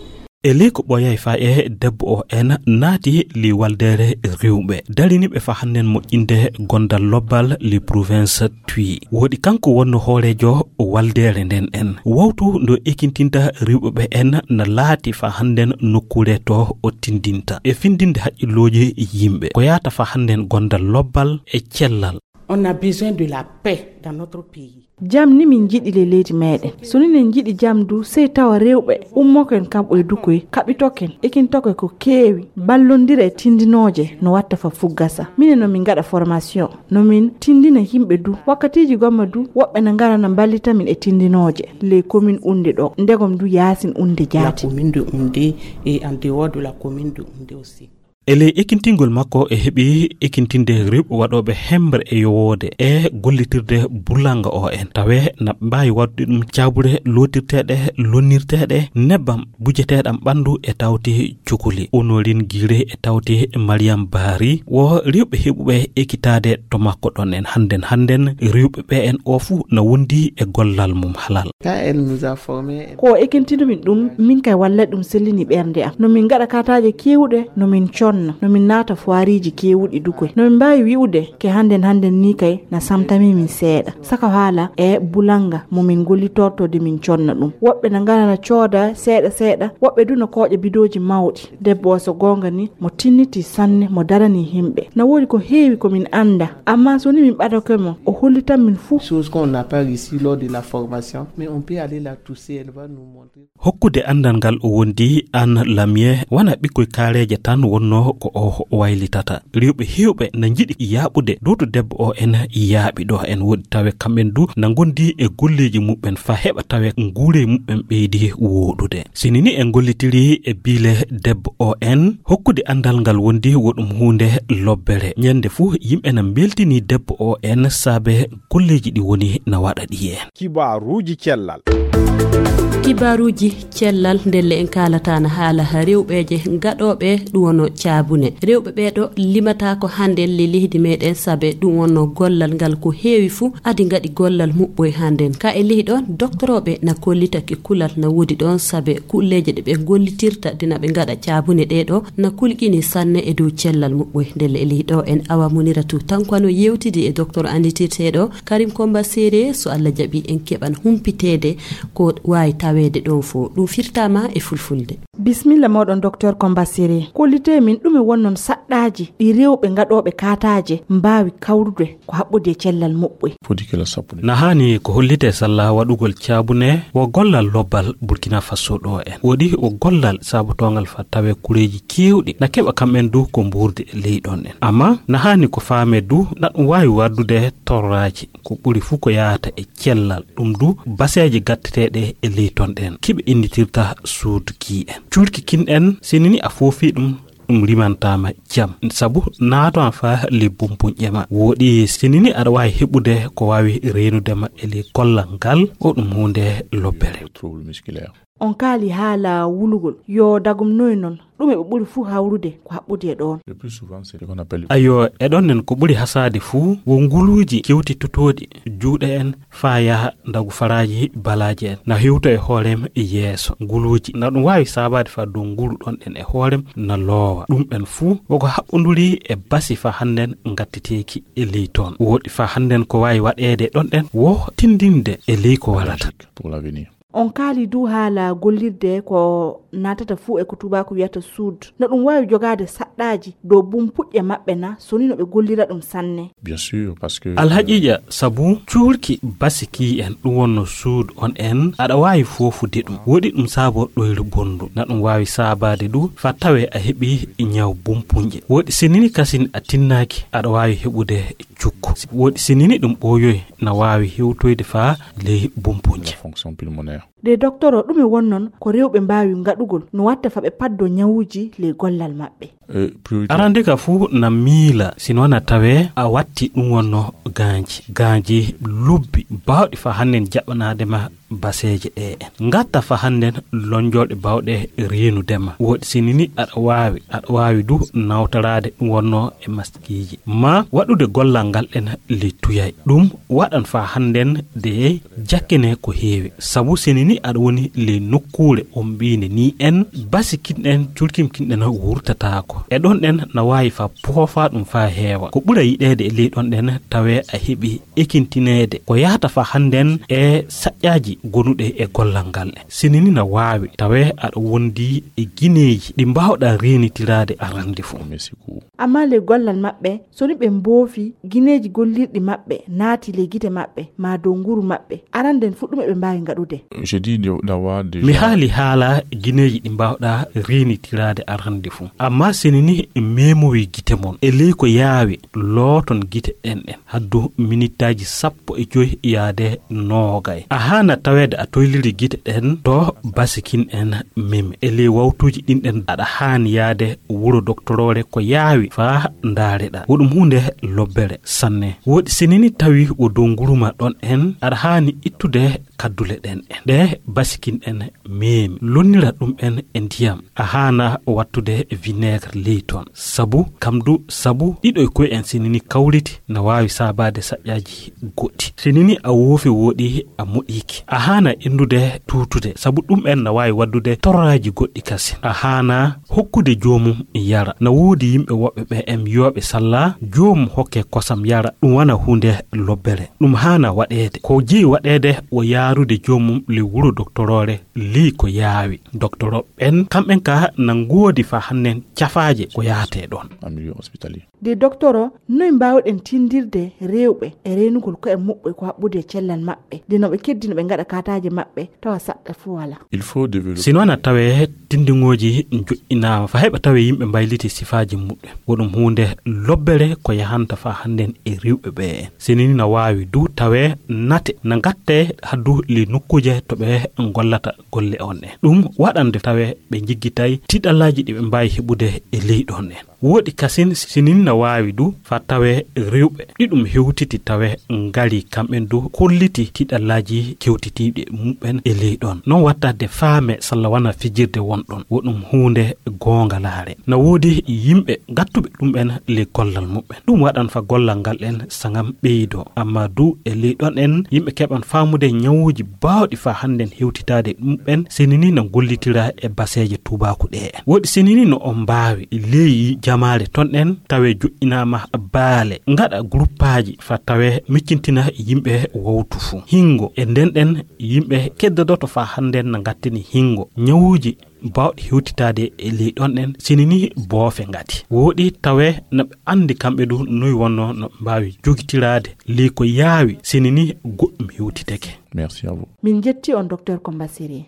E ley ko ɓooyay faa e debbo o en naati ley waldere rewɓe. Darini ɓe fa hannden moƴƴinde gondal lobbal ley province Twi. Woɗi kanko wonno hooreejo waldere nden en. Wawtu ndo ekintinta rewɓe ɓe en na laati fa hannden nokkuure to o tindinta. E findinde haqqillooji yimɓe. Ko yaata fa hannden gondal lobbal e cellal. On a besoin de la paix dans notre pays. Jam ni min njiɗi ley leydi meɗen. So minen njiɗi jam du, sey tawa rewɓe ummoken kamɓe e dukoy, kaɓitoken, ekintoke ko keewi, ballondira e tindinooje no watta fa fuggasa. Minen no min ngaɗa formation, no min tindina yimɓe du. Wakkatiiji gomma du, woɓɓe na ngara na mballita min e tindinooje ley commune Oundé ɗo. Ndegom du yaasin Oundé La jaati. Commune de Oundé et en dehors de la commune de Oundé aussi. E ley ekintingol makko, e heɓi ekintinde rewɓe waɗooɓe hembre e yowoode e gollitirde bulanga o en. Tawe na mbaawi waɗude ɗum caabuɗe lootirteeɗe, lonnirteeɗe, nebbam bujeteeɗam ɓanndu e tawti cukuli. Honorine Girey e tawti Mariam Bari wo rewɓe heɓuɓe ekitaade to makko ɗon en hannden. Hannden rewɓe ɓe en o fuu na wondi e gollal mum halal. Quand elle nous a formés, elle ko o ekintini min ɗum, min kay wallay ɗum sellini ɓernde am. No min ngaɗa kataaje keewuɗe, no min conna, no min naata foiriiji keewuɗi du koy. No min mbaawi wi'ude ke hannden hannden ni kay na samtami min seeɗa. Saka haala e bulanga mo min gollitorto de min conna ɗum. Woɓɓe na ngara na cooda seeɗa seeɗa, woɓɓe du na kooƴa bidooji mawɗi. Debbo o so goonga ni, mo tinniti sanne, mo darani himɓe. Na woodi ko heewi ko min annda, amma so ni min ɓadake mo, o hollitan min fuu. Chose qu'on n'a pas réussi lors de la formation, mais on peut aller la toucher, elle va nous montrer. Hokkude anndal ngal o wondi Anne Lamier, wona ɓikkoy kaareeje tan wonno ko o waylitata. Rewɓe heewɓe na njiɗi yaaɓude dow to debbo o en yaaɓi ɗo en woodi tawe kamɓen du na ngondi e golleeji muɓɓen fa heɓa tawe nguure muɓɓen ɓeydi wooɗude. Sini ni en gollitiri e biile debbo o en, hokkude anndal ngal wondi wo ɗum huunde lobbere. Ñande fuu yimɓe na mbeltini debbo o en saabe golleeji ɗi woni na waɗa ɗi en. Kibaaruuji cellal. Kibaaruuji cellal ndelle en kaalata na haala rewɓeeje gaɗooɓe ɗum wono caabune. Rewɓe ɓee ɗo limataako hannden le leydi meɗen saabe ɗum wonno gollal ngal ko heewi fuu adi ngaɗi gollal muɓɓoy hannden. Ka e ley ɗon doktorooɓe na kollitake kulal na woodi ɗon saabe kulleeje ɗe ɓe gollitirta dina ɓe ngaɗa caabune ɗee ɗo na kulƴini sanne e dow cellal muɓɓoy. Ndelle e ley ɗo en awa munira tu tankano yewtidi e docteur anditirteeɗo Karim Komba Sere, so Allah jaɓi en keɓan humpiteede ko waawi taweede ɗon fof. Ɗum firtaama e fulfulde. Bismilla mooɗon, docteur Komba Sere. Kollitee min ɗume wonnon saɗɗaaji ɗi rewɓe gaɗooɓe kaataaje mbaawi kawrude ko haɓɓodi e cellal muɓɓoy? Foti kala sappo. Na haani ko hollitee salla waɗugol caabune wo gollal lobbal Burkina Faso ɗo en. Woɗi wo gollal saabotoongal fa tawe kureeji keewɗi na keɓa kamɓen du ko mbuurdi e ley ɗon en. Amma na haani ko faame du na ɗum waawi waddude torraaji. Ko ɓuri fuu ko yahata e cellal, ɗum du baseeje gatteteeɗe e ley ton ɗen. Kiɓe innitirta suudu kii en. Cuurki kin en, sinini a foofi ɗum, ɗum rimantaama jam. Sabu naato an faa ley bumpuñƴe ma. Woɗi sinini aɗa waawi heɓude ko waawi reenude ma e ley kollal ngal, o ɗum huunde lobbere. Trouble musculaire. On kaali haala wulugol. Yo dagum noy non? Ɗume ɓe ɓuri fuu hawrude ko haɓɓude e ɗon? Le plus souvent, c'est ce qu'on appelle. Ayo, e ɗon nen ko ɓuri hasaade fuu, wo nguluuji kewti tutooɗi, juuɗe en, faa yaha ndagu faraaji balaaje en. Na hewto e hoorem e yeeso. Nguluuji, na ɗum waawi saabaade faa dow ngulu ɗon ɗen e hoorem na loowa. Ɗum ɗen fuu, woko haɓɓonduri e basi faa hannden ngattiteeki e ley toon. Woɗi faa hannden ko waawi waɗeede ɗon ɗen, wo tindinde e ley ko warata. Pour l'avenir. On kaali du haala gollirde ko naatata fuu e ko tuubaaku wiyata suud. No ɗum waawi jogaade saɗɗaaji dow bumpuƴƴe maɓɓe na, so ni no ɓe gollira ɗum sanne? Bien sûr, parce que, alhaqiiqa, sabu cuurki basi kii en, ɗum wonno suud on en, aɗa waawi foofude ɗum. Woɗi ɗum saabo ɗoyre bonndu. Na ɗum waawi saabaade du, faa tawee a heɓi ñaw bumpuƴƴe. Woɗi sinini kasin a tinnaaki, aɗa waawi heɓude cukko. Woɗi sinini ɗum ɓooyoy, na waawi hewtoyde faa ley bumpuƴƴe. La fonction pulmonaire. De doktoro, ɗume wonnon ko rewɓe mbaawi ngaɗugol no watta fa ɓe paddo ñawuuji ley gollal maɓɓe? Eh, priorité. Arande ka fuu na miila, sino na tawee a watti ɗum wonno gaanji. Gaanji lobbi baawɗi fa hannden jaɓɓanaade ma baseeje ɗe en. Ngatta fa hannden lonjolɗe baawɗe reenude ma. Woɗi sinini aɗa waawi, aɗa waawi du nawtoraade ɗum wonno e maskiiji. Ma waɗude gollal ngal ɗen ley tuyay. Ɗum waɗan fa hannden de jakkene ko heewi. Sabu sinini aɗa woni ley nokkuure on mbiine ni en, basi kin ɗen, curkim kin ɗen wurtataako. E ɗon ɗen na waawi fa poofa ɗum fa heewa. Ko ɓura yiɗeede e ley ɗon ɗen tawee a heɓi ekintineede ko yahata fa hannden e saƴƴaaji gonuɗe e gollal ngal ɗen. Sinini na waawi tawee aɗa wondi e gineeji ɗi mbaawɗa reenitiraade arande fof. Merci beaucoup. Amma ley gollal maɓɓe, so ni ɓe mboofi gineeji gollirɗi maɓɓe naati ley gite maɓɓe, maa dow nguru maɓɓe, aranden fuu ɗume ɓe mbaawi ngaɗude? Je dis de- d'avoir déjà. Mi haali haala gineeji ɗi mbaawɗa reenitiraade arande fuu. Amma seni ni meemowi gite mon. E ley ko yaawi, looton gite ɗen ɗen. Haddu minittaaji sappo e joy yaade noogay. A haana taweede a toyliri gite ɗen to basikin en meme. E ley wawtuuji ɗin ɗen aɗa haani yaade wuro doktoroore ko yaawi faa ndaareɗaa. Wo ɗum huunde lobbere sanne. Woɗi seni ni tawi wo dow nguruma ɗon en, aɗa haani ittude kaddule ɗen en. Ɗe basikin en meemi. Lonnira ɗum en e ndiyam. A haana wattude vinaigre ley ton. Sabu, kam du, sabu ɗiɗo e koy en seni ni kawriti na waawi saabaade saƴƴaaji goɗɗi. Seni ni a woofi woɗi a moɗiiki. A haana inndude tuutude. Sabu ɗum en na waawi waddude torraaji goɗɗi kasin. A haana hokkude joomum yara. Na woodi yimɓe woɓɓe ɓe en yooɓe salla joomum hokke kosam yara. Ɗum wana huunde lobbere. Ɗum haana waɗeede. Ko jeyi waɗeede wo yaarude joomum ley wuro doktoroore ley ko yaawi. Doktoro ɓen, kamɓen ka na ngoodi faa hannen cafaaje ko yahatee ɗon. En milieu hospitalier. De doktoro, noy mbaawɗen tindirde rewɓe e reenugol ko'e muɓɓe ko haɓɓude e cellal maɓɓe, de no ɓe keddi no ɓe ngaɗa kaataaje maɓɓe, tawa saɗɗa fuu walaa? Il faut développer. Sino na tawee tindiŋooji njoƴƴinaama, faa heɓa tawee yimɓe mbayliti sifaaji muɓɓen. Wo ɗum huunde lobbere ko yahanta faa hannden e rewɓe ɓe en. Sini ni na waawi du tawee nate na ngattee haddu ley nokkuuje to ɓe ngollata golle on en. Ɗum waɗande tawee ɓe njiggitay tiɗallaaji ɗi ɓe mbaawi heɓude e ley ɗon en. Woɗi kasin sinin na waawi du faa tawee rewɓe ɗi ɗum hewtiti tawee ngari kamɓen du kolliti tiɗallaaji kewtitiiɗi muɓɓen e ley ɗon. Non wattade faame salla wana fijirde won ɗon. Wo ɗum huunde goongalaare. Na woodi yimɓe gattuɓe ɗum en ley gollal muɓɓen. Ɗum waɗan faa gollal ngal en sangam ɓeydoo. Amma du e ley ɗon en yimɓe keɓan faamude ñawuuji baawɗi faa hannden hewtitaade ɗum en sini ni na gollitira e baseeje tuubaaku ɗe en. Woɗi sini ni no on mbaawi ley jamaare ton en tawee joƴƴinaama baale, ngaɗa guruppaaji faa tawee miccintina yimɓe wawtu fuu. Hingo e nden ɗen yimɓe keddodoto faa hannden na ngattini hingo. Ñawuuji baawɗi hewtitaade e ley ɗon en sini ni boofe ngati. Woɗi tawee na ɓe anndi kamɓe du noy wonnoo no ɓe mbaawi jogitiraade ley ko yaawi sini ni goɗɗum hewtiteke. Merci à vous. Min njetti on, Docteur Kombasiri.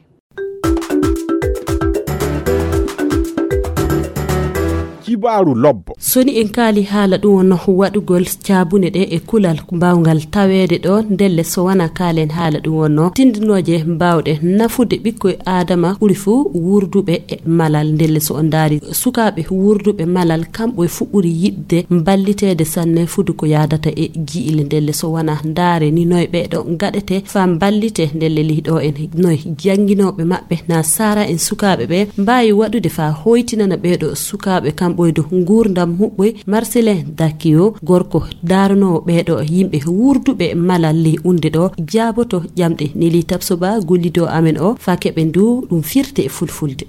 Kibaaru lobbo. Soni en kaali haala ɗum wonno waɗugol caabune ɗe e kulal mbaawngal taweede ɗo ndelle so wona kaalen haala ɗum wonno tindinooje mbaawɗe nafude ɓikkoy aadama ɓuri fuu wuurduɓe e malal ndelle so on ndaari sukaaɓe wuurduɓe malal kamɓe fuɗɗori yiɗde mballiteede sanne fudu ko yaadata e jiile ndelle so wona ndaare ni noy ɓeeɗo ngaɗete faa mballite ndelle ley ɗo en noy jannginooɓe maɓɓe na sara en sukaaɓe ɓe mbaawi waɗude faa hoytinana ɓeeɗo sukaaɓe kamɓoydo nguurndam muɓɓoy. Marcelin Dakio gorko daaranoowo ɓeeɗo yimɓe wuurduɓe malal ley unde ɗo jaaboto ƴamɗe neli tabsoba gollidoo amen o faa keɓe ndu ɗum firte e fulfulde.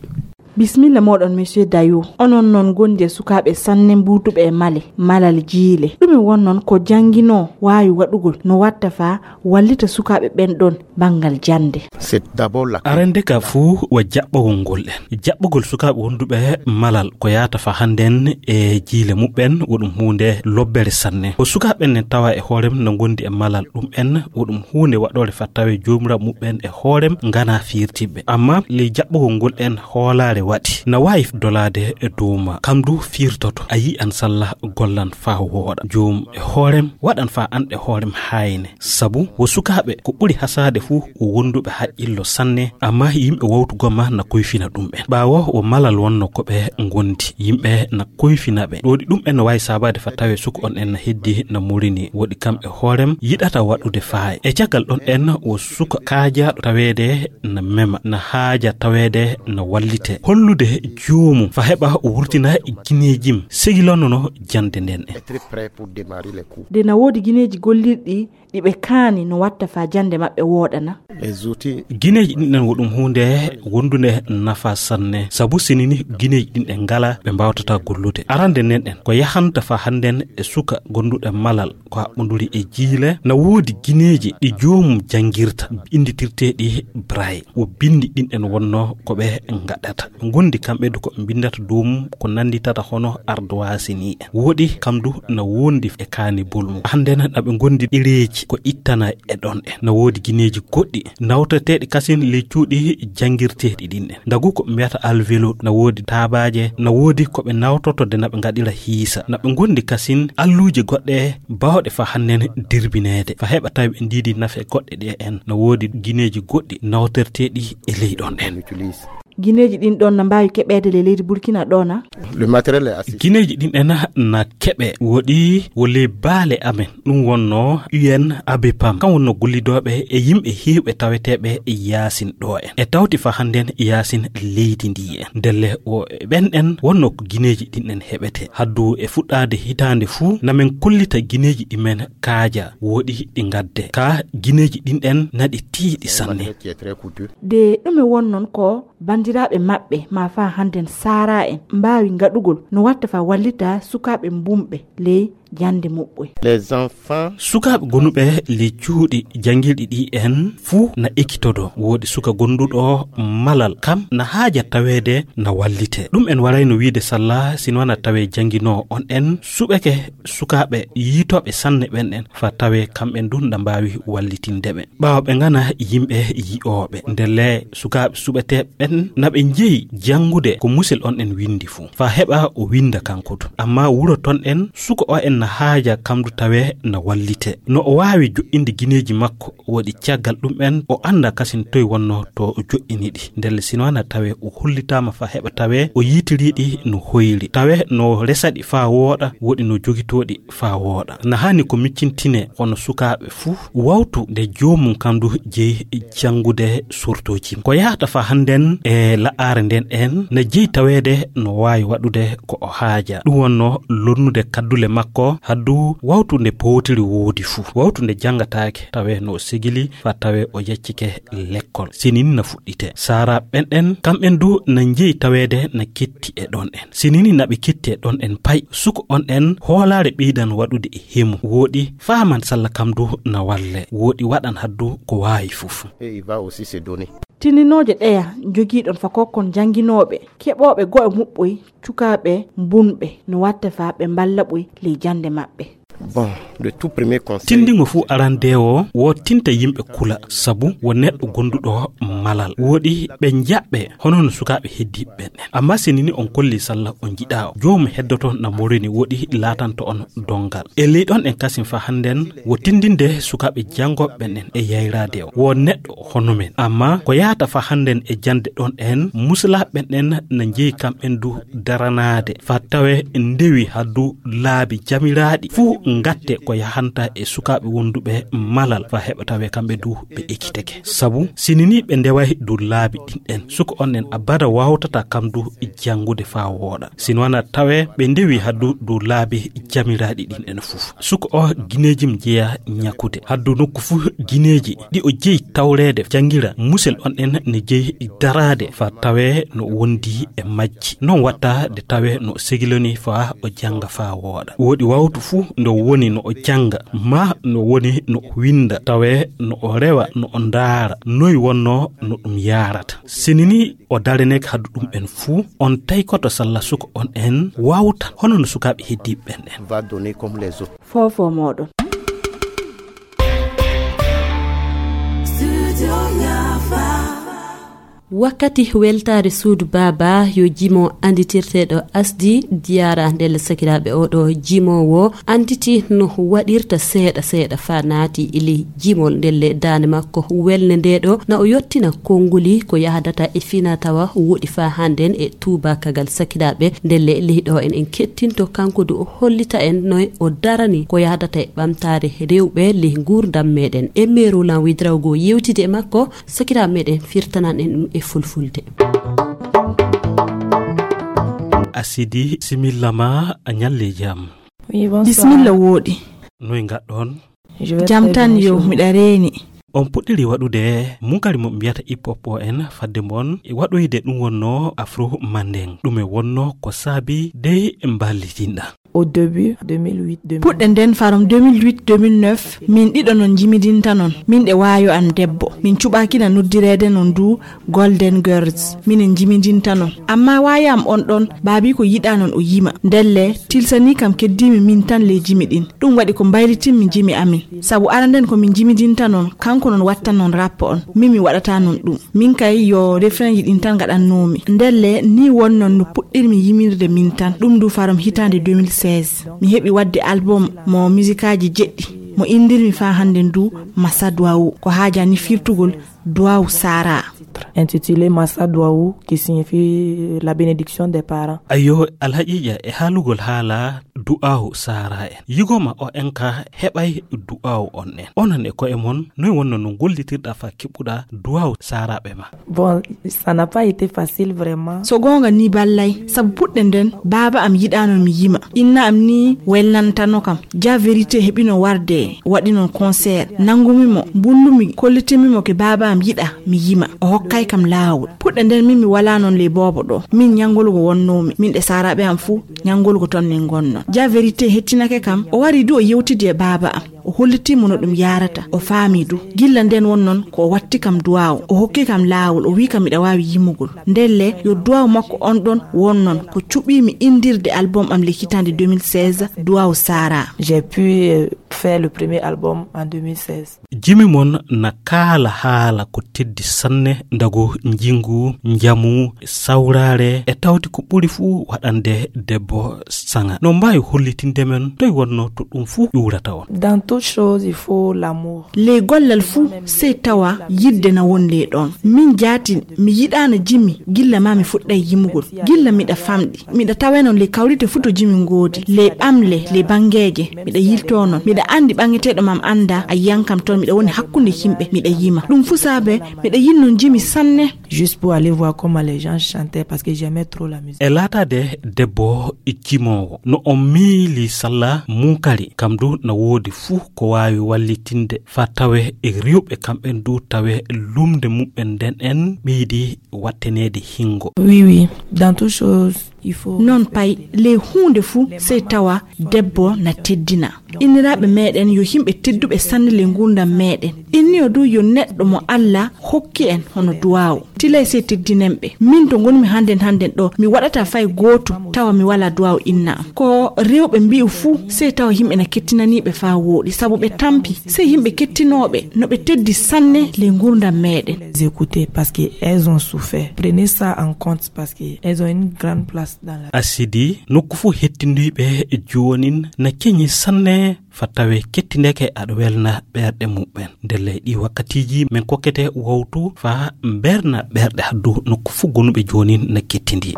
Bismilla mooɗon, Monsieur Dayo. Onon non ngondi e sukaaɓe sanne mbuuduɓe e male, malal jiile. Ɗume won non ko jannginoo waawi waɗugol no watta faa wallita sukaaɓe ɓen ɗon banngal jannde? C'est d'abord la. Arande ka fuu wa jaɓɓagol ngol en. Jaɓɓagol sukaaɓe wonduɓe malal ko yaata faa hannden e jiile muɓɓen wo ɗum huunde lobbere sanne. Ko sukaaɓe ɓen tawa e hoorem no ngondi e malal ɗum en wo ɗum huunde waɗoore faa tawee joomiraaɓe muɓɓen e hoorem nganaa fiirtiiɓe. Amma ley jaɓɓugol ngol en hoolaare waɗi, na waawi dolaade e dow maa. Kam du fiirtoto, a yi'an salla gollan faa wooɗa. Joom e hoorem waɗan faa an e hoorem haayne. Sabu wo sukaaɓe ko ɓuri hasaade fuu wo wonduɓe haqqillo sanne, amma yimɓe wawtu goma na koyfina ɗum en. Ɓaawo wo malal wonno ko ɓe ngondi, yimɓe na koyfina ɓe. Ɗoɗi ɗum en no waawi saabaade faa tawee suka on en na heddi na murini, woɗi kam e hoorem yiɗata waɗude faaye. E caggal ɗon en wo suka kaajaaɗo taweede na mema, na haaja taweede na wallite. Hollude joomum faa heɓa o wurtina gineejim, segilonono jannde nden en. Est très prêt pour démarrer les cours. Nde na woodi gineeji gollirɗi ɗi ɓe kaani no watta faa jannde maɓɓe wooɗana? Les outils. Gineeji ɗin ɗen wo ɗum huunde wondunde nafa sanne, sabu sini ni gineeji ɗin ɗen ngala ɓe mbaawtata gollude. Arande nden ɗen ko yahanta faa hannden e suka gonduɗo malal ko haɓɓonduri e jiile, na woodi gineeji ɗi joomum janngirta, innditirteeɗi Braille. Wo binndi ɗin ɗen wonno ko ɓe ngaɗata. Ɓe ngondi kamɓe du ko ɓe mbinndata dow mum ko nannditata hono ardoise ni en. Woɗi kam du na wondi e kaani bolmu. Hannde na ɓe ngondi ɗereeji ko ittana e ɗon en. Na woodi gineeji goɗɗi Nawtorteeɗi kasin ley cuuɗi janngirteeɗi ɗin ɗen. Ndagu ko ɓe mbiyata alvéolo, na woodi taabaaje, na woodi ko ɓe nawtorto de na ɓe ngaɗira hiisa. Na ɓe ngondi kasin alluuje goɗɗe baawɗe fa hannden dirbineede. Fa heɓa tawi ɓe ndiidi nafe goɗɗe ɗe en. Na woodi gineeji goɗɗi nawtorteeɗi e ley ɗon ɗen. Gineeji ɗin ɗon na mbaawi keɓeede ley leydi Burkina ɗoo na? Gineeji ɗin ɗen na keɓe woɗi wo ley baale amen. Ɗum wonno U N A B P A M. Kam wonno gollidooɓe e yimɓe heewɓe taweteeɓe e yaasin ɗoo en. E tawti fa hannden yaasin leydi ndi en. Ndelle o e ɓen ɗen wonno ko gineeji ɗin ɗen heɓete. Haddu e fuɗɗaade hitaande fuu, na men kollita gineeji ɗi men kaaja woɗi ɗi ngadde. Ka gineeji ɗin ɗen naɗi tiiɗi sanne. De ɗume won non ko banndiraaɓe maɓɓe ma faa hannden saaraa en mbaawi ngaɗugol no watta faa wallita sukaaɓe mbumɓe ley jannde muɓɓoy? Sukaaɓe gonuɓe ley cuuɗi janngirɗi ɗi en fuu na ekkitodo. Woodi suka gonduɗo malal, kam na haaja taweede na wallite. Ɗum en warayno wiide salla sino wana tawee jannginoo on en suɓeke sukaaɓe yiitooɓe sanne ɓen en, fa tawee kamɓen dun na mbaawi wallitinde ɓe. Ɓaawo ɓe ngana yimɓe yi'ooɓe. Ndelle sukaaɓe suɓetee ɓen na ɓe njeyi janngude ko musel on en windi fuu. Fa heɓa o winda kanko du. Amma wuro ton en, suka o en na haaja kam du tawee na wallite. No o waawi jo'inde gineeji makko, woɗi caggal ɗum en, o annda kasin toy wonno to o jo'ini ɗi. Ndelle sino na tawee o hollitaama fa heɓa tawee o yiitiriiɗi no hoyri. Tawee no resaɗi fa wooɗa, woɗi no jogitooɗi fa wooɗa. Na hani ko miccintine kono sukaaɓe fuu wawtu nde joomum kam du jeyi janngude sortooji. Ko yahata fa hannden e la'aare nden en na jeyi taweede no waawi waɗude ko o haaja. Ɗum wonno lonnude kaddule makko haddu wawtu nde powtiri woodi fuu. Wawtu nde janngataake tawee no o segili fa tawee o yaccike lekkol. Sinini na fuɗɗite. Saara ɓen ɗen, kamɓen du na njeyi taweede na ketti e ɗon en. Sinini na ɓe ketti e ɗon en pay. Suko on en hoolaare ɓeydan waɗude e hemu. Wooɗi faaman salla kam du na walle. Wooɗi waɗan haddu ko waawi fuf. Tininooje ɗeya njogiiɗon fa kokkon jannginooɓe, keɓooɓe go'o muɓɓoy, cukaaɓe mbunɓe, no watta fa ɓe mballa ɓoy ley jannde maɓɓe. Tinndingo fuu arandeewo wo tinta yimɓe kula, sabu wo neɗɗo gonduɗo malal. Wooɗi ɓe njaɓɓe hono no sukaaɓe heddiiɓe ɓen en. Amma sinini on kolli salla on njiɗaa o, joomum heddoto na morini, wooɗi laatanto on donngal. E ley ɗon en kasin fa hannden wo tinndinde sukaaɓe janngooɓe ɓen en e yayraade o. Wo neɗɗo hono men. Amma ko yahata fa hannden e jannde ɗon en, musulaaɓe ɓen en na njeyi kamɓen du daranaade fa tawe ndewi haddu laabi jamiraaɗi fuu ngatte ko yahanta e sukaaɓe wonduɓe malal fa heɓa tawe kamɓe du ɓe ekkiteke. Sabu sinini ɓe ndeway du laabi ɗin en, suka on en abada wawtata kam du janngude fa wooɗa. Sino wana tawe ɓe ndewi haddu du laabi jamiraaɗi ɗin en fuf. Suka o gineejim jeya ñakude. Haddu nokku fuu gineeji ɗi o jeyi tawreede janngira, musel on en ne jeyi daraade fa tawe no wondi e majji. Non watta de tawe no segiloni fa o jannga fa wooɗa. Wooɗi wawtu fuu ndo woni no o jannga, ma no woni no o winda, tawe no o rewa, no o ndaara, noy wonno no ɗum yaarata. Sinini o dareneke haddu ɗum en fuu, on taykoto salla suka on en wawta, hono no sukaaɓe heddiiɓe ɓen en. Foofo mooɗon. Wakkati weltaare suudu baaba yo jimo anditirteeɗo asdi diyaara ndelle sakiraaɓe, oɗo jimoowo anditi no waɗirta seeɗa seeɗa fa naati ili jimol ndelle daande makko welne ndeɗo na o yottina konnguli ko yahdata e fina tawa woɗi fa hannden e tuubakagal sakiraaɓe ndelle leyɗo en en kettinto kanko du o hollita en no o darani ko yahdata e ɓamtaare rewɓe ley nguurndam meɗen. E meeru lan widrawgo yewtide e makko sakiraaɓe meɗen firtanan en ɗum e fulfulde. Asidi similla ma a ñalle jam. Bisimilla wooɗi. Noy ngaɗɗon? Jam tan yo miɗa reeni. On puɗɗiri waɗude munkari mo mbiyata hip hop o en fadde mon e waɗoyde ɗum wonno afro manden, ɗum e wonno ko saabi dey mballitinɗa. Au début, deux mille huit, deux mille neuf. Puɗɗe nden farom deux mille huit deux mille neuf, min ɗiɗo non njimidinta non. Min ɗe waayo am debbo. Min cuɓaakina noddireede non du Golden Girls. Minen njimidinta non. Amma waayo am on ɗon, baabi ko yiɗa non o yima. Ndelle, tilsani kam keddiimi min tan ley jimi ɗin. Ɗum waɗi ko mbaylitinmi jimi amin. Sabu ara nden ko min njimidinta non, kanko non watta non rappo on. Min mi waɗata non ɗum. Min kay yo refrain ji ɗin tan ngaɗannoomi. Ndelle, ni wonnon no puɗɗirmi yimirde min tan. Ɗum du farom hitaande deux mille seize. Mi heɓi waɗde album mo musikaaji jeɗɗi. Mo inndirmi faa hannden du Massa Duwawu. Ko haajani firtugol Duwawu Sara. Intitulé Massa Duwawu, qui signifie la bénédiction des parents. Ayo, alhaqiiqa e haalugol haala du'aawu Sara en. Yigo ma o en ka heɓay du'aawu on en. Onon e ko'e mon, noy wonno no gollitirɗa faa keɓuɗa du'aawu Saraaɓe ma? Bon, ça n'a pas été facile vraiment. So goonga ni ballay, sabu puɗɗe nden, baaba am yiɗaano mi yima. Inna am ni welnantano kam. Ja Vérité heɓino warde, waɗi non concert. Nangumi mo, mbullumi, kollitinmi mo ke baaba am yiɗa mi yima. O hokkay kam laawol. Puɗɗe nden min mi walaa non ley boobo ɗo. Min ñanngolgo wonnoomi. Min ɗe Saraaɓe am fuu, ñanngolgo ton min ngonno. Ja Vérité hettinake kam, o wari du o yewtidi e baaba am. O hollitii mo no ɗum yaarata, o faami du. Gilla nden won non ko o watti kam duwaawu, o hokki kam laawol, o wii kam miɗa waawi yimugol. Ndelle, yo duwaawu makko on ɗon won non ko cuɓii mi inndirde album am le hitaande deux mille seize, Duwaawu Sara. J'ai pu, euh, faire le premier album en deux mille seize. Jimi mon na kaala haala ko teddi sanne, ndago, njingu, njamu, sawraare, e tawti ko ɓuri fuu waɗande debbo saŋa. No mbaawi hollitinde men toy wonno to ɗum fuu ƴuurata on? Dans toute chose, il faut l'amour. Ley gollal fuu, sey tawa yidde na won ley ɗon. Min jaati, mi yiɗaana jimi, gilla ma mi fuɗɗay yimugol. Gilla miɗa famɗi. Miɗa tawe non ley kawrite fuu to jimi ngoodi. Ley ɓamle, ley bangeeje, miɗa yiltoo non. Miɗa anndi ɓaŋeteeɗo mam annda, a yiyan kam ton, miɗa woni hakkunde yimɓe, miɗa yima. Ɗum fuu saabe, miɗa yiɗi non jimi sanne. Juste pour aller voir comment les gens chantaient, parce que j'aimais trop la musique. E laataade debbo jimoowo, no on miili salla munkari, kam du na woodi fuu ko waawi wallitinde faa tawe e rewɓe kamɓen du tawe lumnde muɓɓen nden en ɓeydi watteneede hingo. Oui, oui, dans toute chose, il faut. Non pay, ley huunde fuu, sey tawa debbo na teddina. Inniraaɓe meeɗen yo yimɓe tedduɓe sanne ley nguurndam meeɗen. Inniyo du yo neɗɗo mo Alla hokki en hono duwaawu. Tilay sey teddinen ɓe. Min to ngonmi hannden hannden ɗo, mi waɗata fay gootu tawa mi walaa duwaawu inna am. Ko rewɓe mbi'u fuu, sey tawa yimɓe na kettinanii ɓe faa wooɗi, sabu ɓe tampi. Sey yimɓe kettinooɓe no ɓe teddi sanne ley nguurndam meeɗen. Les écouter parce que elles ont souffert. Prenez ça en compte parce que elles ont une grande place dans la. Asidi, nokku fuu hettindiiɓe joonin na keñi sanne faa tawe kettindeke aɗa welna ɓerɗe muɓɓen. Ndelle ɗi wakkatiiji min kokkete wawtu faa mberna ɓerɗe haddu nokku fuu gonuɓe joonin na kettindi.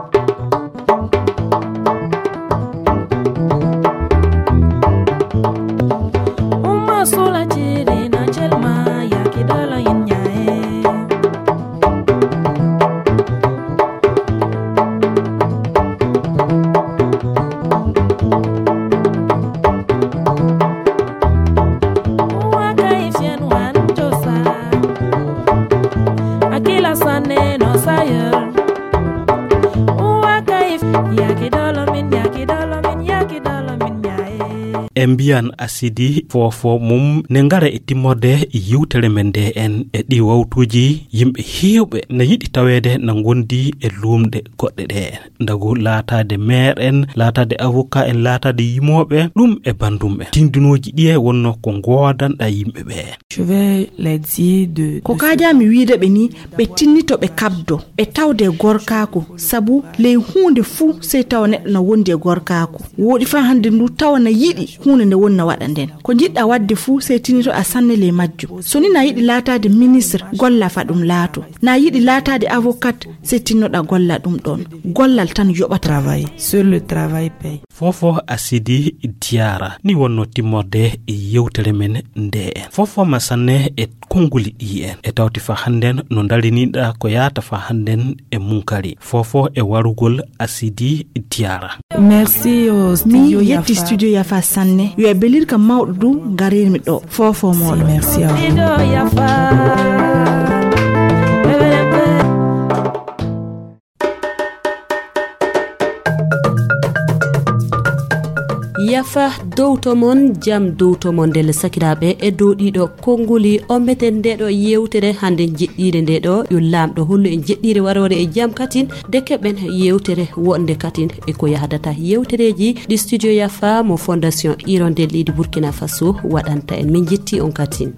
Umma sula ciri na celma yaki dala yin nyae. Uwa kai fien wan josa. Akila sane no sayer. Uwa kai yaki dala min, yaki dala min, yaki dala min nyae. E mbiyan Asidi foofo mum ne ngara e timmorde yiwtere men nde en e ɗi wawtuuji yimɓe heewɓe na yiɗi taweede na ngondi e luumɗe goɗɗe ɗe en. Ndagu laataade maire en, laataade avocat en, laataade yimooɓe, ɗum e banndum en. Tindinooji ɗiye wonno ko ngoodanɗa yimɓe ɓe. Je vais les dire de, ko de kaajaami wiide ɓe ni, ɓe tinnito ɓe kabdo, ɓe tawde e gorkaaku, sabu ley huunde fuu sey tawa neɗɗo na wondi e gorkaaku. Wooɗi faa hannde ndu tawa na yiɗi huunde nde woni na waɗa nden. Ko njiɗɗa waɗde fuu sey tinnito a sanne ley majjum. So ni na yiɗi laataade ministre, golla faa ɗum laato. Na yiɗi laataade avocat, sey tinnoɗa golla ɗum ɗon. Gollal tan yoɓata. Travail. Sur le travail paye. Foofo Asidi Diara. Ni wonno timmorde e yewtere men nde en. Foofo ma sanne e konnguli ɗi en. E tawti faa hannden no ndariniɗa ko yaata faa hannden e munkari. Foofo e warugol Asidi Diara. Merci au studio. Mi yetti Yafa. Studio Yafa sanne. Yo e belirka mawɗo du ngarirmi ɗo. Foofo mooɗo. Merci à vous. Studio Yafa. Yafa dowto mon, jam dowto mon ndelle sakiraaɓe e dow ɗiɗo konnguli. O meten nde ɗo yewtere hannde jeɗɗiire nde ɗo yo laamɗo hollu en jeɗɗiire waroore e jam katin de keɓen yewtere wonde katin e ko yahdata yewtereeji ɗi studio Yafa mo fondation hirondelle leydi Burkina Faso waɗanta en. Min jetti on katin.